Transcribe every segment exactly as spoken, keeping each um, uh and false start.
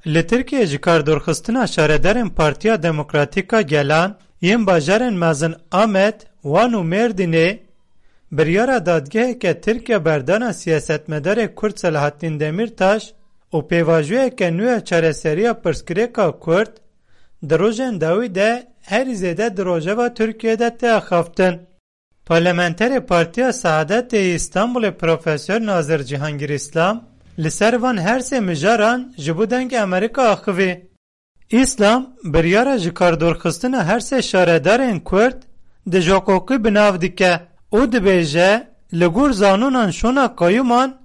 Li Tirkiyê ji kar dûrxistina şaredarên Partiya Demokratîk a Gelan yên bajarên mezin Amed, Wan û Mêrdînê biryara dadgeheke Tirkiye berdana siyasetmedarê Kurd Selahattîn Demîrtaş û pêvajoyeke nû ya çareseriya pirsgirêka Kurd di rojên dawî de herî zêde di rojeva Tirkiyê de tê axaftin. Parlamenterê Partiya Saadetê yê Îstanbulê Profesor Nazir Cihangir Îslam li ser van her sê mijaran ji bo Dengê Amerîka axivî. Îslam biryara ji kar dûrxistina her sê şaredarên Kurd di ji hiqûqî bi nav dike û dibêje, li gor zanonan şûna qeyûman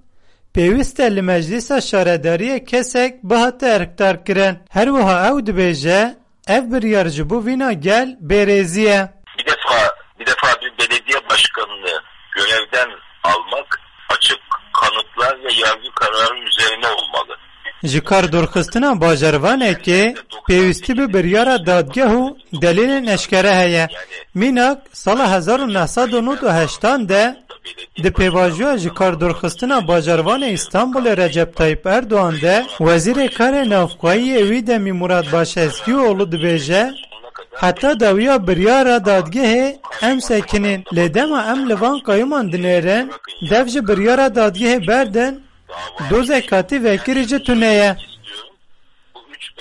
pêwîst e li meclîsa şaredariyê kesek bihate erkdarkirin. Her wiha ew dibêje, ev biryar ji bo vîna gel bêrêzî ye. Bir defa, bir defa bir belediye başkanını görevden almak açık kanıtlar ve yargı kararı üzerine olmalı. Ji kar dûrxistina bajarvanekê pêwîstî bi biryara dadgeh û delîlên eşkere heye. Mînak, sala hezar û neh sed û nod û heştan de di pêvajoya ji kar dûrxistina bajarvanê Îstanbulê Recep Tayyip Erdogan de Wezîrê Karê Navxweyî yê wî demî Murat Başezgîoğlu dibêje, heta dawiya biryara dadgehê em sekinîn. Lê dema em li van qeyûman dinêrin, dev ji biryara dadgehê berdin, dozek katî vekirî jî tune ye.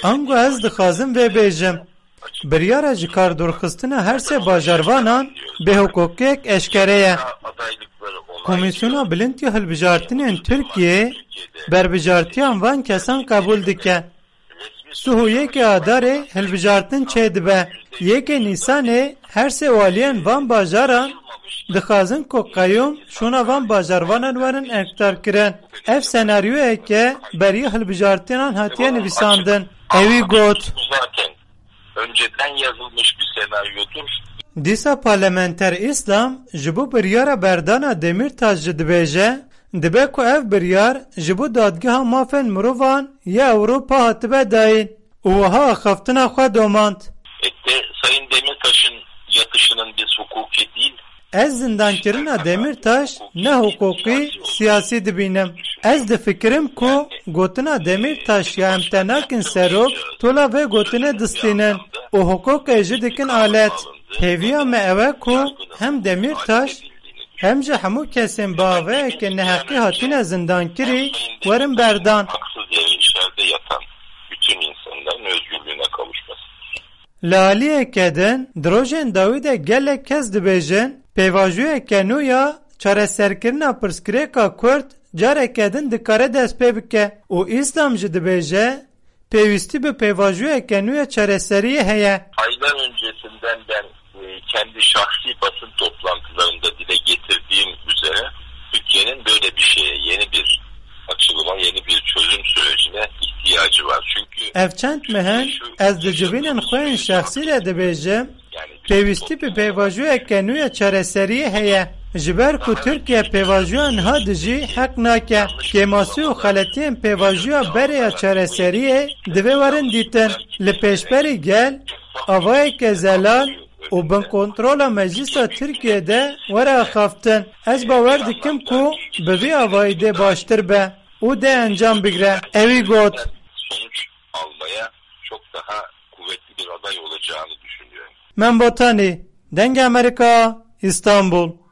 Ango ez dixwazim vê bêjim. Biryara ji kar dûrxistina her sê bajarvanan bêhiqûqiyek eşkere ye. Komîsyona Bilind ya Hilbijartinên Tirkiyê berbijartiyan van kesan qebûl dike. Sih û yekê Adarê hilbijartin çêdibe. Yekê Nîsanê her sê waliyên van bajaran dixwazin ku qeyûm şûna van bajarvanan werin erkdarkirin. Ev senaryoyeke beriya hilbijartinan hatiye nivîsandin. Ewî got. Zaten önceden yazılmış bir senaryodur. Dîsa parlamenter Îslam ji bo biryara berdana Demîrtaş jî dibêje, dibe ku ev biryar ji bo Dadgeha Mafên Mirovan ya Ewropa hatibe dayîn û wiha axaftina xwe domand. Ette Sayın Demirtaş'ın yatışının biz hukuki değil, Ez zindankirina Demîrtaş ne hiqûqî, siyasî dibînim. Ez difikirim ku gotina Demîrtaş ya em te nakin serok, tola vê gotinê distînin û hiqûqê jî dikin alet. Hêviya me ew e ku hem Demîrtaş hem jî hemû kesên bi avayeke neheqî hatine zindankirî werin berdan. Haksız yere içeride yatan bütün insanların özgürlüğüne kavuşması. Li aliyeke din, di rojên dawî de gelek kes dibêjin, pêvajoyeke nû ya çareserkirina pirsgirêka Kurd careke din dikare dest pê bike û Îslam jî dibêje, pêwîstî bi pêvajoyeke nû ya çareseriyê heye. Aylar öncesinden ben, e, kendi şahsi basın toplantılarında dile getirdiğim üzere Türkiye'nin böyle bir şeye, yeni bir açılıma, yeni bir çözüm sürecine ihtiyacı var. Çünkü Ev çend meh in ez di civînên xwe yên şexsî de dibêjim, pêwîstî bi pêvajoyeke nû ya çareseriyê heye. Ji ber ku Tirkiye pêvajoya niha dijî heq nake, kêmasî û xeletiyên pêvajoya berê ya çareseriyê divê werin dîtin. Li pêşberî gel avayeke zelal û bin kontrola Meclisa Tirkiye de were axaftin. Ez bawer dikim ku bi vî avayî dê baştir be û dê encam bigre. Ewî got. Sonuç almaya çok daha kuvvetli bir aday olacağını düşünüyorum. Mem Botanî, Dengê Amerîka, Îstanbul.